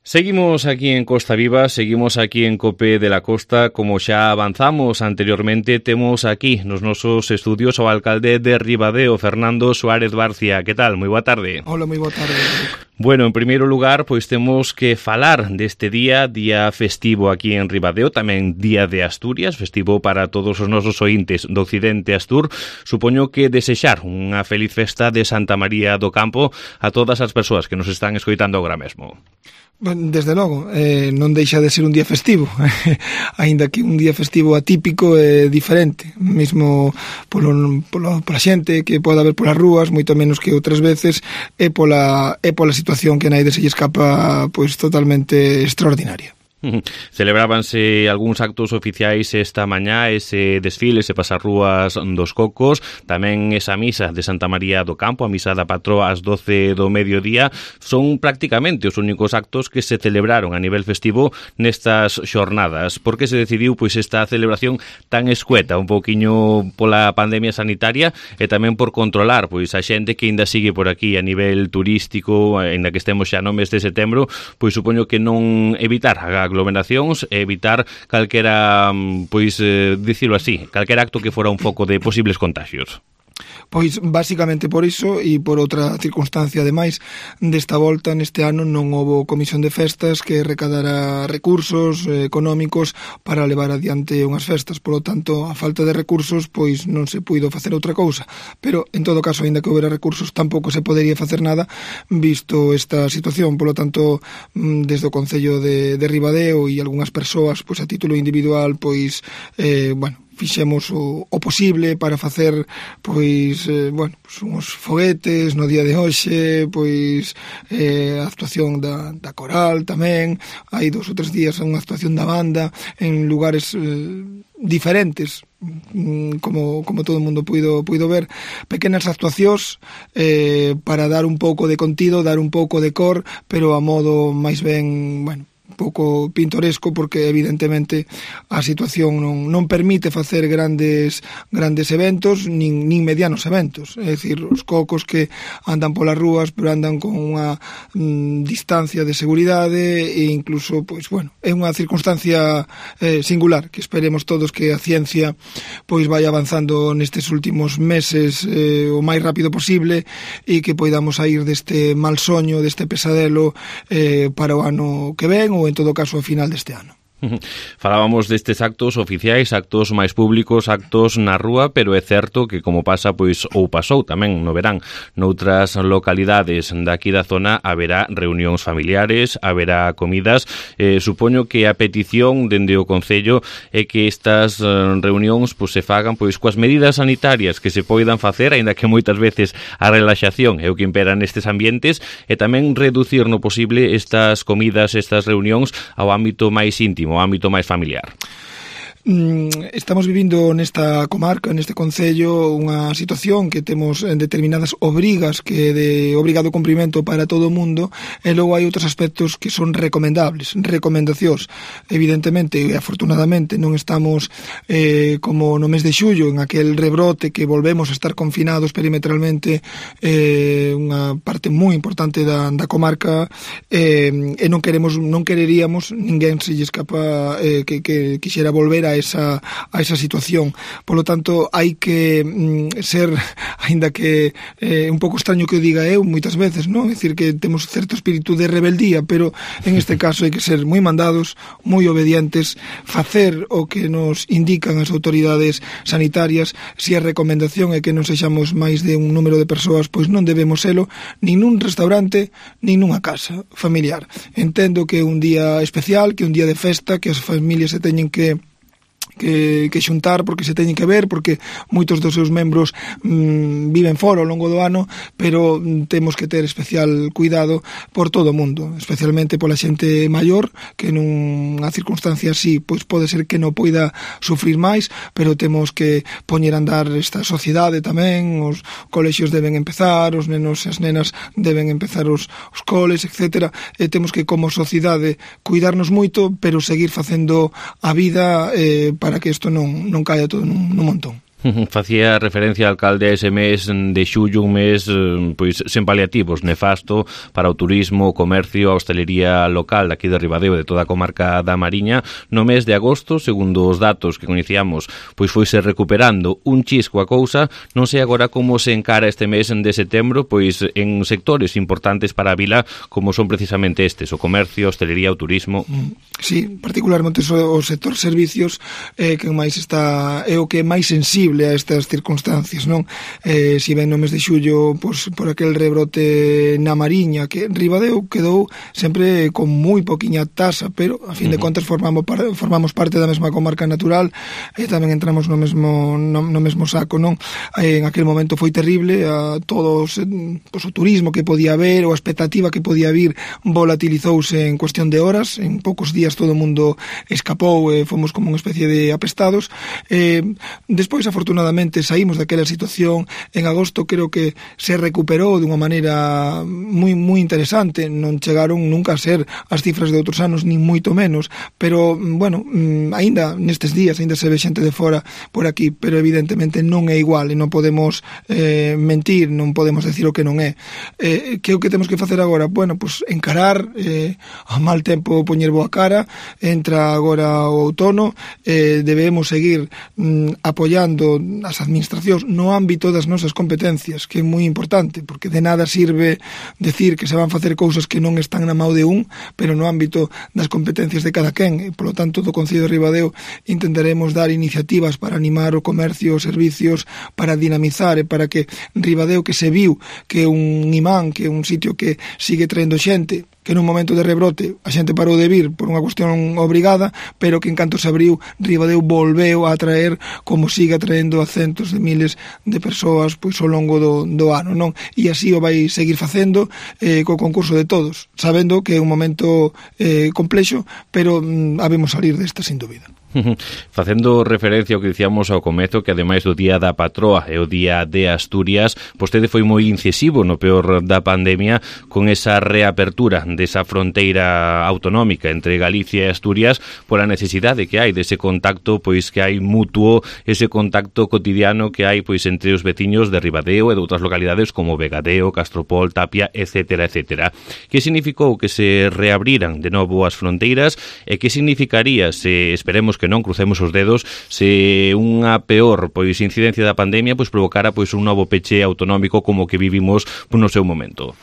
Seguimos aquí en Costa Viva, seguimos aquí en COPE de la Costa. Como xa avanzamos anteriormente, temos aquí nos nosos estudios o alcalde de Ribadeo, Fernando Suárez Barcia. Que tal? Moi boa tarde. Hola, moi boa tarde. Bueno, en primeiro lugar, pois temos que falar deste día festivo aquí en Ribadeo, tamén Día de Asturias, festivo para todos os nosos ointes do Occidente Astur. Supoño que desexar unha feliz festa de Santa María do Campo a todas as persoas que nos están escoitando agora mesmo. Desde logo, non deixa de ser un día festivo, aínda que un día festivo atípico e diferente, mesmo pola xente que pode haber polas rúas, moito menos que outras veces, e pola situación que naide se lle escapa pois totalmente extraordinaria. Celebrábanse algúns actos oficiais esta mañá, ese desfile, ese pasarrúas dos Cocos, tamén esa misa de Santa María do Campo, a misa da patroa ás 12 do mediodía. Son prácticamente os únicos actos que se celebraron a nivel festivo nestas xornadas. Por que se decidiu pois esta celebración tan escueta, un pouquiño pola pandemia sanitaria e tamén por controlar pois a xente que ainda sigue por aquí a nivel turístico, aínda que estemos xa no mes de setembro, pois supoño que non evitar aglomeracións e evitar calquera, pois, dicilo así, calquera acto que fora un foco de posibles contagios. Pois basicamente por iso e por outra circunstancia ademais desta volta neste ano non houbo comisión de festas que recadara recursos económicos para levar adiante unhas festas, polo tanto a falta de recursos pois non se puido facer outra cousa, pero en todo caso aínda que houbera recursos tampouco se podería facer nada visto esta situación, polo tanto desde o Concello de Ribadeo e algunhas persoas pois a título individual pois fixemos o posible para facer pois uns foguetes no día de hoxe, pois a actuación da coral tamén, hai 2 ou 3 días unha actuación da banda en lugares diferentes, como todo o mundo puido ver, pequenas actuacións para dar un pouco de contido, dar un pouco de cor, pero a modo máis ben, pouco pintoresco, porque evidentemente a situación non permite facer grandes eventos nin medianos eventos, é dicir, os cocos que andan polas rúas pero andan con unha distancia de seguridade e incluso, é unha circunstancia singular que esperemos todos que a ciencia pois vai avanzando nestes últimos meses o máis rápido posible e que poidamos sair deste mal soño, deste pesadelo para o ano que ven ou en todo caso ao final deste ano. Falábamos destes actos oficiais, actos máis públicos, actos na rúa, pero é certo que como pasa pois ou pasou tamén no verán noutras localidades daqui da zona, haberá reunións familiares, haberá comidas. Supoño que a petición dende o Concello é que estas reunións pois se fagan pois coas medidas sanitarias que se poidan facer, aínda que moitas veces a relaxación é o que impera nestes ambientes, e tamén reducir no posible estas comidas, estas reunións ao ámbito máis íntimo, o ámbito máis familiar. Estamos vivindo nesta comarca, neste concello, unha situación que temos determinadas obrigas que de obrigado cumprimento para todo o mundo, e logo hai outros aspectos que son recomendacións. Evidentemente e afortunadamente non estamos como no mes de xullo, en aquel rebrote que volvemos a estar confinados perimetralmente unha parte moi importante da comarca, e non quereríamos, ninguén se lle escapa que quixera volver a esa situación. Polo tanto, hai que ser, aínda que un pouco extraño que o diga eu moitas veces, non? É dicir, que temos certo espírito de rebeldía, pero en este caso hai que ser moi mandados, moi obedientes, facer o que nos indican as autoridades sanitarias. Se a recomendación é que non sexamos máis de un número de persoas, pois non debemos selo nin nun restaurante, nin nunha casa familiar. Entendo que é un día especial, que é un día de festa, que as familias se teñen que xuntar, porque se teñen que ver, porque moitos dos seus membros viven fora ao longo do ano, pero temos que ter especial cuidado por todo o mundo, especialmente pola xente maior, que nunha circunstancia así pois pode ser que non poida sufrir máis, pero temos que poñer a andar esta sociedade tamén, os colexios deben empezar, os nenos e as nenas deben empezar os coles, etc. E temos que, como sociedade, cuidarnos moito, pero seguir facendo a vida para que isto non caia todo nun montón. Facía referencia ao alcalde a ese mes de xullo, un mes pois sen paliativos, nefasto para o turismo, o comercio, a hostelería local aquí de Ribadeo, de toda a comarca da Mariña. No mes de agosto, segundo os datos que coñecíamos, pois foise recuperando un chisco a cousa. Non sei agora como se encara este mes de setembro, pois en sectores importantes para a vila, como son precisamente estes, o comercio, a hostelería, o turismo. Sí, particularmente o sector servicios que máis está, é o que é máis sensible a estas circunstancias, non? Si ben no mes de xullo, pois, por aquel rebrote na Mariña, que Ribadeo quedou sempre con moi poquiña tasa, pero a fin de contas formamos parte da mesma comarca natural e tamén entramos no mesmo saco, non? En aquel momento foi terrible, a todos, pois, o turismo que podía haber, ou a expectativa que podía vir volatilizouse en cuestión de horas, en poucos días todo o mundo escapou e fomos como unha especie de apestados. Despois, afortunadamente, saímos daquela situación. En agosto creo que se recuperou dunha maneira moi interesante. Non chegaron nunca a ser as cifras de outros anos, nin moito menos, pero, bueno, aínda nestes días, aínda se ve xente de fora por aquí, pero evidentemente non é igual e non podemos mentir, non podemos decir o que non é. Que é o que temos que facer agora? Bueno, pues encarar a mal tempo, poñer boa cara. Entra agora o outono, debemos seguir apoiando as administracións no ámbito das nosas competencias, que é moi importante, porque de nada sirve decir que se van facer cousas que non están na mão de un, pero no ámbito das competencias de cada quen. E, polo tanto, do Concello de Ribadeo intentaremos dar iniciativas para animar o comercio, os servicios, para dinamizar e para que Ribadeo, que se viu que é un imán, que é un sitio que sigue traendo xente, que nun momento de rebrote a xente parou de vir por unha cuestión obrigada, pero que en canto se abriu, Ribadeo volveu a atraer, como sigue atraendo a centos de miles de persoas pois ao longo do ano, non? E así o vai seguir facendo co concurso de todos, sabendo que é un momento complexo, pero habemos salir desta sin dúbida. Facendo referencia ao que dicíamos ao comezo, que ademais do Día da Patroa e o Día de Asturias, vostede foi moi incisivo no peor da pandemia con esa reapertura desa fronteira autonómica entre Galicia e Asturias, por a necesidade que hai dese contacto, pois que hai mutuo, ese contacto cotidiano que hai pois entre os veciños de Ribadeo e de outras localidades como Vegadeo, Castropol, Tapia, etcétera, etcétera. Que significou que se reabriran de novo as fronteiras e que significaría se, esperemos que non, crucemos os dedos, se unha peor pois incidencia da pandemia pois provocara pois un novo peche autonómico como que vivimos no seu momento?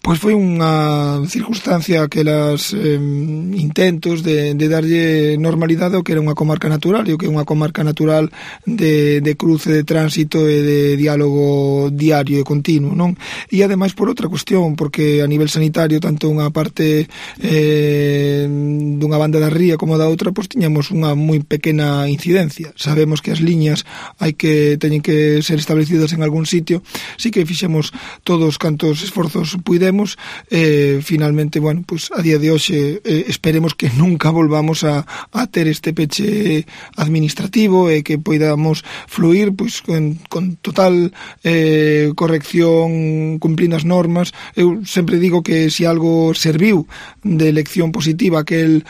Pois foi unha circunstancia, aquelas intentos de darlle normalidade ao que era unha comarca natural, e o que é unha comarca natural de cruce, de tránsito e de diálogo diario e continuo, non? E ademais por outra cuestión, porque a nivel sanitario, tanto unha parte dunha banda da ría como da outra, pois tiñamos unha moi pequena incidencia. Sabemos que as liñas teñen que ser establecidas en algún sitio. Sí que fixemos todos cantos esforzos puidemos. Finalmente, bueno, pues a día de hoxe esperemos que nunca volvamos a ter este peche administrativo e que poidamos fluir pues con total corrección, cumplindo as normas. Eu sempre digo que se algo serviu de lección positiva aquel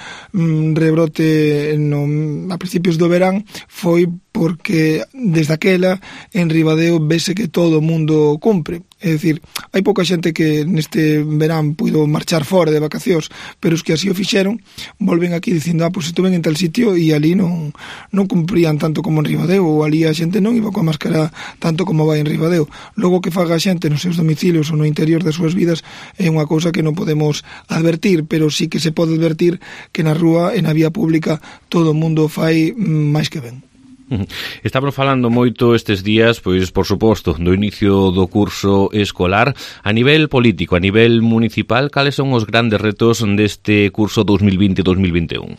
rebrote a principios do verán, foi porque desde aquela en Ribadeo vese que todo o mundo cumpre. É dicir, hai pouca xente que neste verán puido marchar fora de vacacións, pero os que así o fixeron volven aquí dicindo, pois estuven en tal sitio e ali non cumprían tanto como en Ribadeo, ou ali a xente non iba coa máscara tanto como vai en Ribadeo. Logo que faga a xente nos seus domicilios ou no interior das súas vidas é unha cousa que non podemos advertir, pero sí que se pode advertir que na rúa e na vía pública todo o mundo fai máis que ben. Estamos falando moito estes días, pois, por suposto, do inicio do curso escolar. A nivel político, a nivel municipal, cales son os grandes retos deste curso 2020-2021?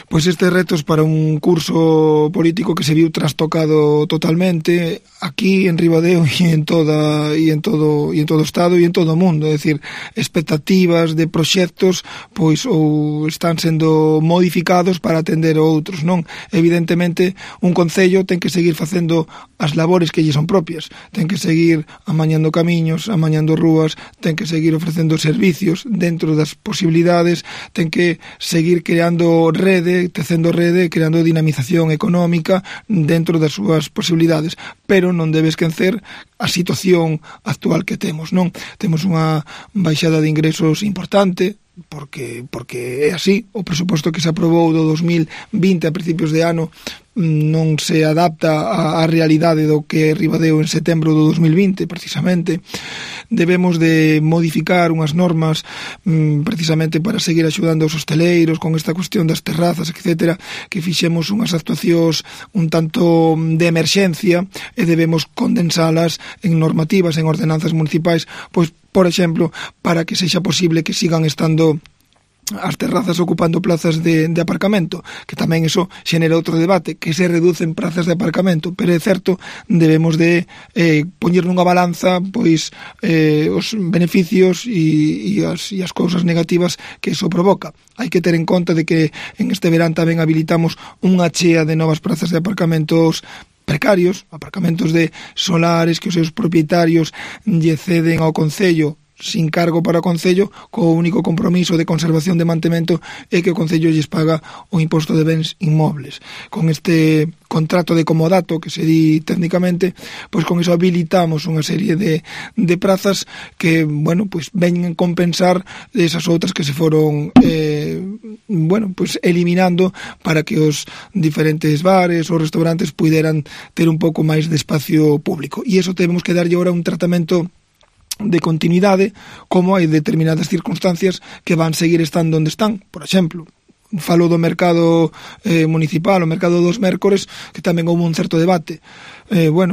Pois estes retos para un curso político que se viu trastocado totalmente aquí en Ribadeo e en todo o estado e en todo o mundo, é dicir, expectativas de proxectos pois ou están sendo modificados para atender a outros, non? Evidentemente, un concello ten que seguir facendo as labores que lle son propias, ten que seguir amañando camiños, amañando rúas, ten que seguir ofrecendo servicios dentro das posibilidades, ten que seguir creando redes rede, tecendo rede, creando dinamización económica dentro das súas posibilidades, pero non debe esquecer a situación actual que temos, non? Temos unha baixada de ingresos importante, porque é así, o presuposto que se aprobou do 2020 a principios de ano non se adapta á realidade do que Ribadeo en setembro do 2020, precisamente. Debemos de modificar unhas normas precisamente para seguir axudando aos hosteleiros con esta cuestión das terrazas, etc., que fixemos unhas actuacións un tanto de emerxencia e debemos condensalas en normativas, en ordenanzas municipais, pois, por exemplo, para que sexa posible que sigan estando as terrazas ocupando plazas de aparcamento, que tamén iso xenera outro debate, que se reducen plazas de aparcamento, pero é certo, debemos de poñer nunha balanza pois os beneficios e as cousas negativas que iso provoca. Hai que ter en conta de que en este verán tamén habilitamos unha chea de novas plazas de aparcamentos precarios, aparcamentos de solares que os seus propietarios lle ceden ao Concello sin cargo para o Concello, co único compromiso de conservación de mantemento é que o Concello lles paga o imposto de bens inmobles. Con este contrato de comodato, que se di técnicamente, pois con iso habilitamos unha serie de prazas que, bueno, pois veñen compensar esas outras que se foron pois eliminando para que os diferentes bares ou restaurantes puderan ter un pouco máis de espacio público. E iso temos que darlle ahora un tratamento de continuidade, como hai determinadas circunstancias que van seguir estando onde están. Por exemplo, falo do mercado municipal, o mercado dos mércores, que tamén houve un certo debate.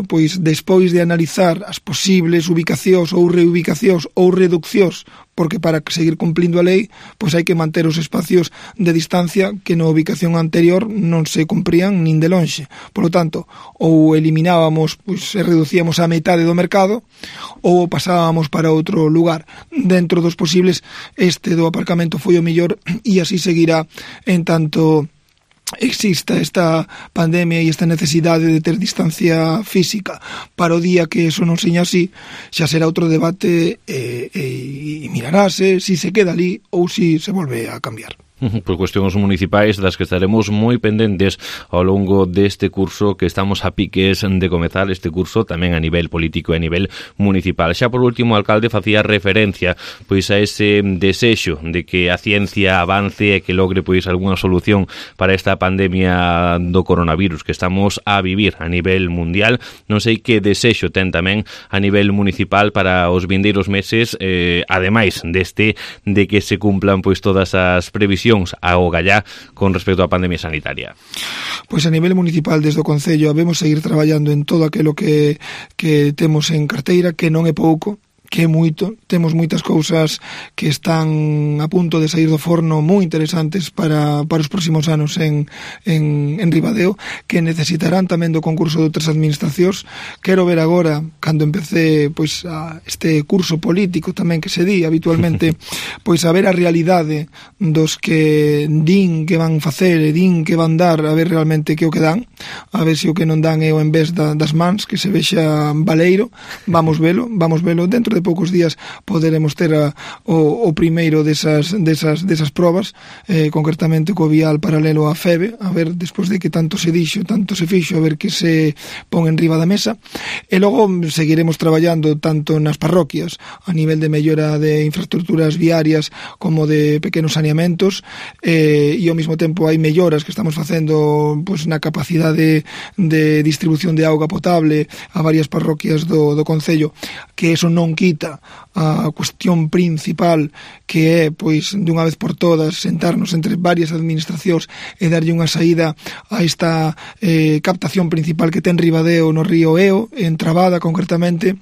Pois despois de analizar as posibles ubicacións ou reubicacións ou reduccións, porque para seguir cumplindo a lei, pois hai que manter os espacios de distancia que na ubicación anterior non se cumprían nin de lonxe. Por lo tanto, ou eliminábamos, pois se reducíamos a metade do mercado, ou pasábamos para outro lugar. Dentro dos posibles, este do aparcamento foi o mellor e así seguirá en tanto exista esta pandemia e esta necesidade de ter distancia física. Para o día que eso non seña así, xa será outro debate e mirarase si se queda ali ou si se volve a cambiar. Por cuestións municipais das que estaremos moi pendentes ao longo deste curso que estamos a piques de comezar, este curso tamén a nivel político e a nivel municipal. Xa por último, o alcalde facía referencia pois a ese desexo de que a ciencia avance e que logre pois algunha solución para esta pandemia do coronavirus que estamos a vivir a nivel mundial. Non sei que desexo ten tamén a nivel municipal para os vindeiros meses, ademais deste de que se cumplan pois todas as previsións ao gallá con respecto á pandemia sanitaria. Pois a nivel municipal, desde o Concello, habemos seguir traballando en todo aquilo que temos en carteira, que non é pouco, que é moito. Temos moitas cousas que están a punto de sair do forno moi interesantes para os próximos anos en Ribadeo, que necesitarán tamén do concurso de outras administracións. Quero ver agora, cando empecé pois este curso político tamén que se di habitualmente, pois a ver a realidade dos que din que van facer e din que van dar, a ver realmente que o que dan, a ver se o que non dan é o en vez das mans, que se vexa baleiro. Vamos velo dentro de poucos días poderemos ter o primeiro desas probas, concretamente co vial paralelo á FEBE, a ver, despois de que tanto se dixo, tanto se fixo, a ver que se pon en riba da mesa. E logo seguiremos traballando tanto nas parroquias, a nivel de mellora de infraestructuras viarias como de pequenos saneamentos, e ao mesmo tempo hai melloras que estamos facendo pois na capacidade de distribución de auga potable a varias parroquias do Concello, que eso non quita a cuestión principal, que é, pois, dunha vez por todas, sentarnos entre varias administracións e darlle unha saída a esta captación principal que ten Ribadeo no río Eo, en Trabada concretamente,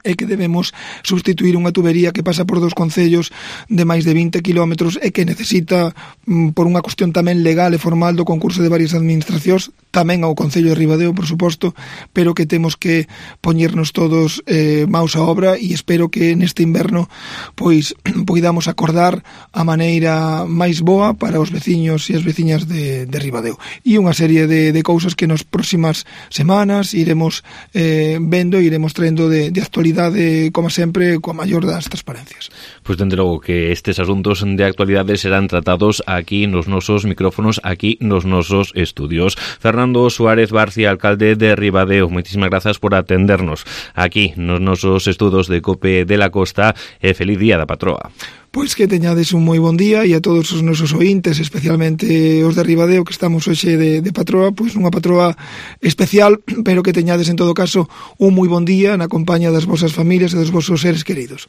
é que debemos substituir unha tubería que pasa por dos concellos de máis de 20 kilómetros e que necesita, por unha cuestión tamén legal e formal do concurso de varias administracións, tamén ao Concello de Ribadeo, por suposto, pero que temos que poñernos todos maus á obra, e espero que neste inverno pois poidamos acordar a maneira máis boa para os veciños e as veciñas de Ribadeo. E unha serie de cousas que nas próximas semanas iremos vendo e iremos traendo de actualidade, como sempre, coa maior das transparencias. Pois dende logo que estes asuntos de actualidade serán tratados aquí nos nosos micrófonos, aquí nos nosos estudios. Fernando Suárez Barcia, alcalde de Ribadeo, moitísimas grazas por atendernos aquí nos nosos estudos de COPE de la Costa e feliz día da patroa. Pois que teñades un moi bon día e a todos os nosos ointes, especialmente os de Ribadeo que estamos hoxe de patroa, pois unha patroa especial, pero que teñades en todo caso un moi bon día na compañía das vosas familias e dos vosos seres queridos.